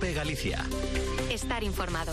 COPE Galicia. Estar informado.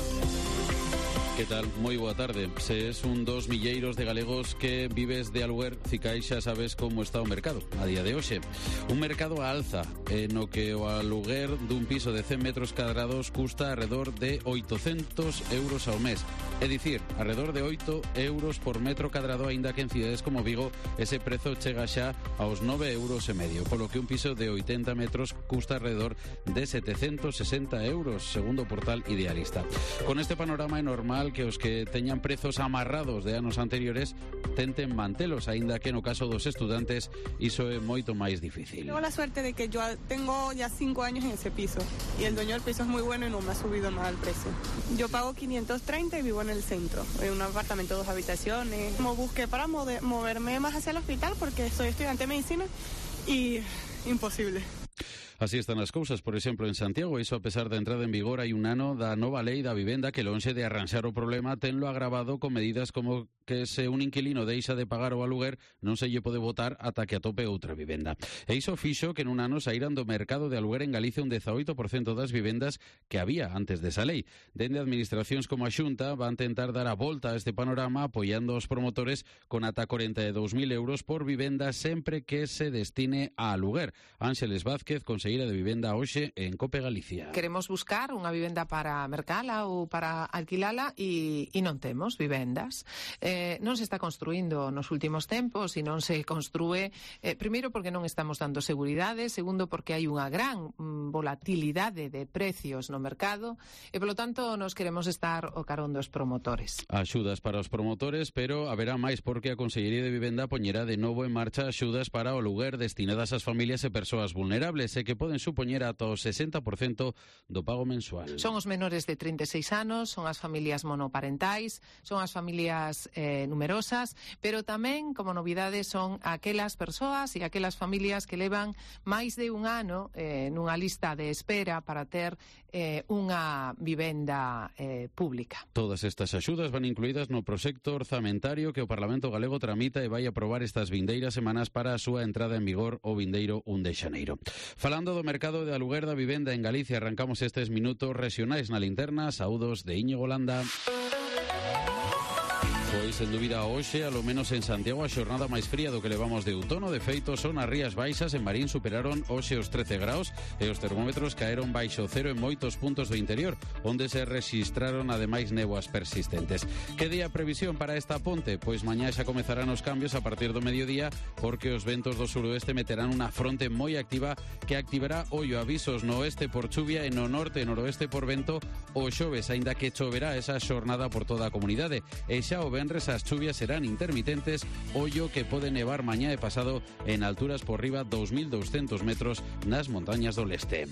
Que tal? Moi boa tarde. Se es un dos milleiros de galegos que vives de aluguer, cicais xa sabes como está o mercado a día de hoxe. Un mercado a alza, no que o aluguer dun piso de 100 metros cadrados custa alrededor de 800 euros ao mes. É dicir, alrededor de 8 euros por metro cadrado, aínda que en cidades como Vigo ese prezo chega xa aos 9,5 euros, polo que un piso de 80 metros custa alrededor de 760 euros, segundo o portal Idealista. Con este panorama é normal que os que teñan prezos amarrados de anos anteriores tenten mantelos, aínda que no caso dos estudantes iso é moito máis difícil. Tengo la suerte de que yo tengo ya 5 años en ese piso y el dueño del piso es muy bueno y no me ha subido nada el precio. Yo pago 530 y vivo en el centro, en un apartamento de 2 habitaciones. Como busqué para moverme más hacia el hospital porque soy estudiante de medicina y imposible. Así están as cousas, por exemplo, en Santiago, iso a pesar da entrada en vigor hai un ano da nova lei da vivenda que lonxe de arranxar o problema tenlo agravado con medidas como que se un inquilino deixa de pagar o aluguer non se lle pode votar ata que atope outra vivenda. E iso fixo que nun ano saíran do mercado de aluguer en Galicia un 18% das vivendas que había antes desa lei. Dende administracións como a Xunta van tentar dar a volta a este panorama apoiando os promotores con ata 42.000 euros por vivenda sempre que se destine a aluguer. Ángeles Vázquez, conselleira de Vivenda hoxe en COPE Galicia. Queremos buscar unha vivenda para mercala ou para alquilala e non temos vivendas. Non se está construindo nos últimos tempos e non se construe, primeiro porque non estamos dando seguridade, segundo porque hai unha gran volatilidade de precios no mercado e, polo tanto, nos queremos estar o carón dos promotores. Axudas para os promotores, pero haberá máis porque a Consellería de Vivenda poñerá de novo en marcha axudas para o aluguer destinadas ás familias e persoas vulnerables e que poden supoñer ata o 60% do pago mensual. Son os menores de 36 anos, son as familias monoparentais, son as familias numerosas, pero tamén, como novidade, son aquelas persoas e aquelas familias que levan máis de un ano nunha lista de espera para ter unha vivenda pública. Todas estas axudas van incluídas no proxecto orzamentario que o Parlamento Galego tramita e vai aprobar estas vindeiras semanas para a súa entrada en vigor o vindeiro 1 de xaneiro. Falando do mercado de aluguer da vivenda en Galicia, arrancamos estes minutos regionais na linterna. Saúdos de Íñigo Landa. Pois, sen dúbida, hoxe, alo menos en Santiago, a xornada máis fría do que levamos de outono. De feito, son as Rías Baixas. En Marín superaron hoxe os 13 graus e os termómetros caeron baixo cero en moitos puntos do interior, onde se rexistraron ademais néboas persistentes. Que día a previsión para esta ponte? Pois mañá xa comezarán os cambios a partir do mediodía, porque os ventos do suroeste meterán unha fronte moi activa que activará ollo avisos no oeste por chuvia e no norte e noroeste por vento o xoves, aínda que choverá esa xornada por toda a comunidade. E xa o venres as chuvias serán intermitentes, ollo que pode nevar mañá e pasado en alturas por riba 2.200 metros nas montañas do leste.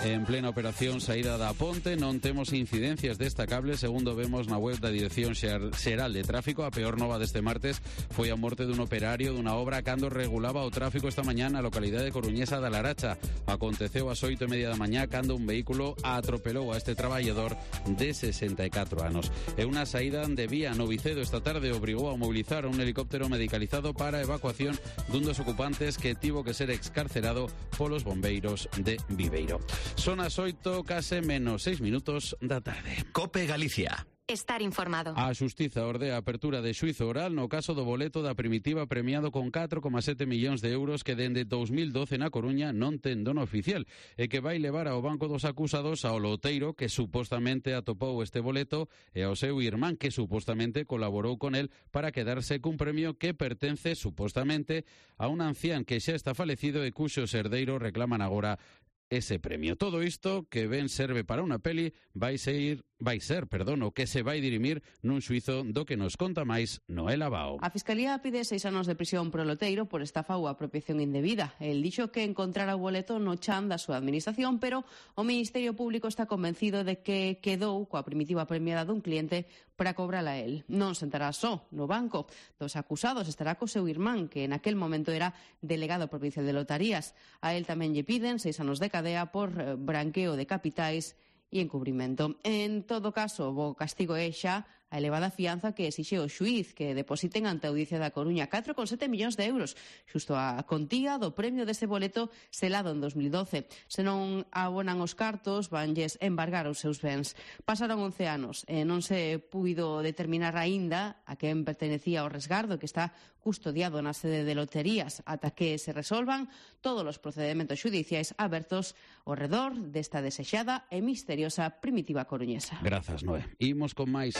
En plena operación saída da ponte non temos incidencias destacables, segundo vemos na web da Dirección Xeral de Tráfico. A peor nova deste martes foi a morte dun operario dunha obra cando regulaba o tráfico esta mañá na localidade coruñesa da Laracha. Aconteceu ás 8:30 da mañá cando un vehículo atropelou a este traballador de 64 anos. E unha saída de vía no Vicedo esta tarde obrigou a mobilizar un helicóptero medicalizado para a evacuación dun dos ocupantes que tivo que ser excarcerado polos bombeiros de Viveiro. Son as 8, case menos 6 minutos da tarde. COPE Galicia. Estar informado. A Xustiza ordea a apertura de xuízo oral no caso do boleto da Primitiva premiado con 4,7 millóns de euros que dende 2012 na Coruña non ten dono oficial e que vai levar ao banco dos acusados ao loteiro que supostamente atopou este boleto e ao seu irmán que supostamente colaborou con el para quedarse cun premio que pertence supostamente a un ancián que xa está falecido e cuxos herdeiros reclaman agora ese premio. Todo isto que ben serve para unha peli vai ser o que se vai dirimir nun xuízo do que nos conta máis Noel Abao. A Fiscalía pide 6 anos de prisión pro loteiro por estafa ou apropiación indebida. El dixo que encontrara o boleto no chan da súa administración, pero o Ministerio Público está convencido de que quedou coa Primitiva premiada dun cliente para cobrala a él. Non sentará só no banco dos acusados, estará co seu irmán, que en aquel momento era delegado provincial de lotarías. A él tamén lle piden 6 anos de cadea por branqueo de capitais e encubrimento. En todo caso, o castigo é xa a elevada fianza que exixe o xuíz que depositen ante a Audiencia da Coruña 4,7 millóns de euros, xusto a contía do premio deste boleto selado en 2012. Se non abonan os cartos, vanlles embargar os seus bens. Pasaron 11 anos e non se puido determinar aínda a quen pertenecía o resgardo que está custodiado na sede de loterías ata que se resolvan todos os procedimentos xudiciais abertos ao redor desta desexada e misteriosa primitiva coruñesa. Grazas, Noé. Imos con máis.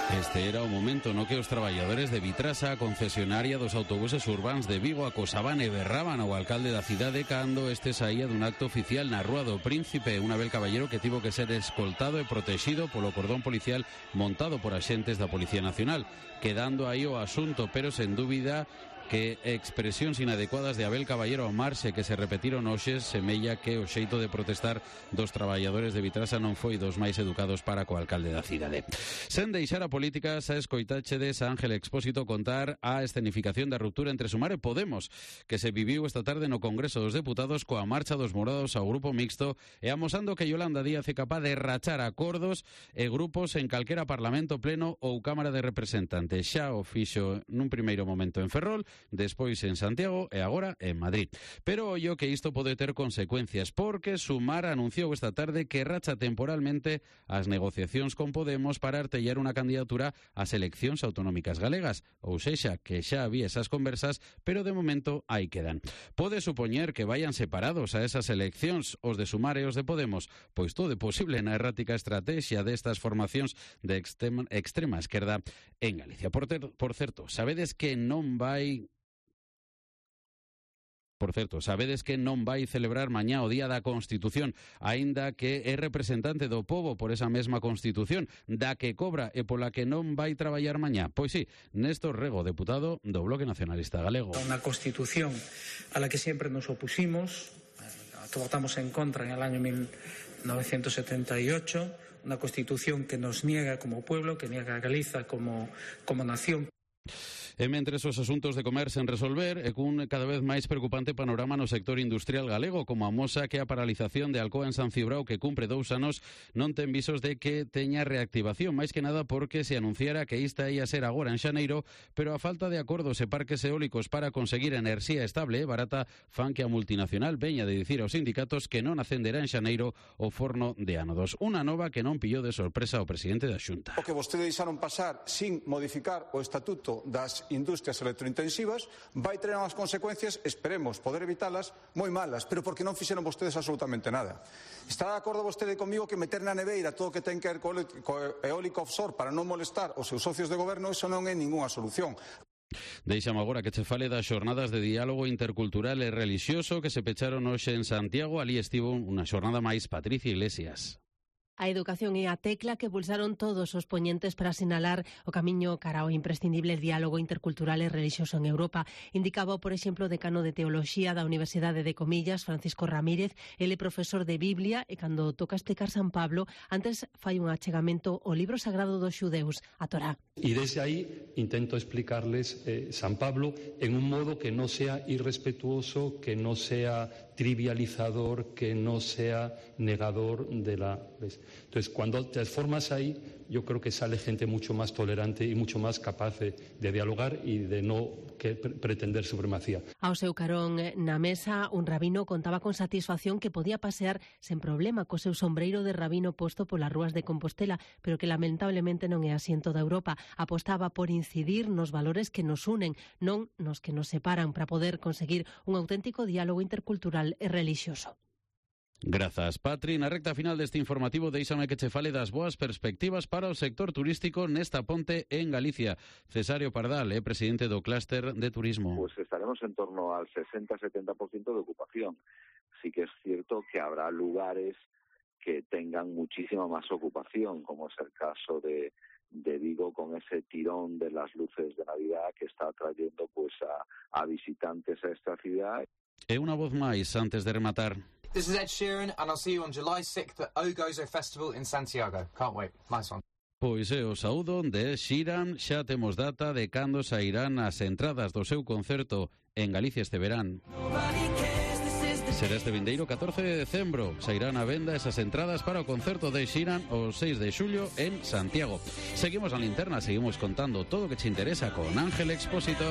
Este era o momento no que os traballadores de Vitrasa, a concesionaria dos autobuses urbáns de Vigo, acosaban e berraban ao alcalde da cidade cando este saía dun acto oficial na Rúa do Príncipe, un Abel Caballero que tivo que ser escoltado e protegido polo cordón policial montado por axentes da Policía Nacional, quedando aí o asunto, pero sen dúbida que expresións inadecuadas de Abel Caballero ao marxe que se repetiron hoxe semella que o xeito de protestar dos traballadores de Vitrasa non foi dos máis educados para co alcalde da cidade. Sen deixar a política, xa escoitáchedes a Ángel Expósito contar a escenificación da ruptura entre Sumar e Podemos que se viviu esta tarde no Congreso dos Deputados coa marcha dos morados ao grupo mixto e amosando que Yolanda Díaz é capaz de rachar acordos e grupos en calquera Parlamento pleno ou Cámara de Representantes. Xa o fixo nun primeiro momento en Ferrol, despois en Santiago e agora en Madrid. Pero ollo que isto pode ter consecuencias, porque Sumar anunciou esta tarde que racha temporalmente as negociacións con Podemos para artellar unha candidatura ás eleccións autonómicas galegas, ou sexa, que xa había esas conversas, pero de momento aí quedan. Pode supoñer que vayan separados a esas eleccións os de Sumar e os de Podemos, pois todo é posible na errática estrategia destas formacións de extrema esquerda en Galicia. Por certo, sabedes que non vai celebrar mañá o Día da Constitución, aínda que é representante do pobo por esa mesma Constitución, da que cobra e pola que non vai traballar mañá. Pois sí, Néstor Rego, deputado do Bloque Nacionalista Galego. Unha Constitución a la que sempre nos opusimos, votamos en contra en el año 1978, una Constitución que nos niega como pueblo, que niega a Galiza como nación. E mentres os asuntos de comer sen resolver e cun cada vez máis preocupante panorama no sector industrial galego, como amosa que a paralización de Alcoa en San Cibrao, que cumpre 2 anos, non ten visos de que teña reactivación, máis que nada porque se anunciara que esta ia ser agora en xaneiro, pero a falta de acordos e parques eólicos para conseguir enerxía estable e barata fan que a multinacional veña de dicir aos sindicatos que non acenderá en xaneiro o forno de ánodos. Unha nova que non pillou de sorpresa ao presidente da Xunta. O que vostedes deixaron pasar sin modificar o estatuto das industrias electrointensivas vai ter unhas consecuencias, esperemos poder evitalas, moi malas, pero porque non fixeron vostedes absolutamente nada. Está de acordo vostede comigo que meter na neveira todo o que ten que ver co eólico offshore para non molestar os seus socios de goberno, eso non é ningunha solución. Deixame agora que che fale das xornadas de diálogo intercultural e relixioso que se pecharon hoxe en Santiago. Ali estivo unha xornada máis Patricia Iglesias. A educación é a tecla que pulsaron todos os poñentes para sinalar o camiño cara ao imprescindible diálogo intercultural e relixioso en Europa. Indicaba, por exemplo, o decano de Teoloxía da Universidade de Comillas, Francisco Ramírez. Ele é profesor de Biblia e cando toca explicar San Pablo, antes fai un achegamento ao libro sagrado dos xudeus, a Torá. Y desde ahí intento explicarles San Pablo en un modo que no sea irrespetuoso, que no sea trivializador, que no sea negador de la... Entonces, cuando te formas ahí, yo creo que sale gente mucho más tolerante y mucho más capaz de dialogar y de no pretender supremacía. Ao seu carón na mesa, un rabino contaba con satisfacción que podía pasear sen problema co seu sombreiro de rabino posto polas rúas de Compostela, pero que lamentablemente non é así en toda Europa. Apostaba por incidir nos valores que nos unen, non nos que nos separan, para poder conseguir un auténtico diálogo intercultural e relixioso. Grazas, Patri. Na recta final deste informativo deixame que che fale das boas perspectivas para o sector turístico nesta ponte en Galicia. Cesario Pardal é presidente do clúster de turismo. Pues estaremos en torno al 60-70% de ocupación. Sí que es cierto que habrá lugares que tengan muchísima más ocupación, como es el caso de Vigo, con ese tirón de las luces de Navidad que está atrayendo pues a visitantes a esta ciudad. E unha voz máis antes de rematar. This is Ed Sheeran and I'll see you on July 6th at Ogozo Festival in Santiago. Can't wait. Nice one. Pois é o saúdo de Ed Sheeran. Xa temos data de cando sairán as entradas do seu concerto en Galicia este verán. Será este vindeiro 14 de decembro. Sairán a venda esas entradas para o concerto de Xiran o 6 de xullo en Santiago. Seguimos a linterna, seguimos contando todo o que te interesa con Ángel Expósito.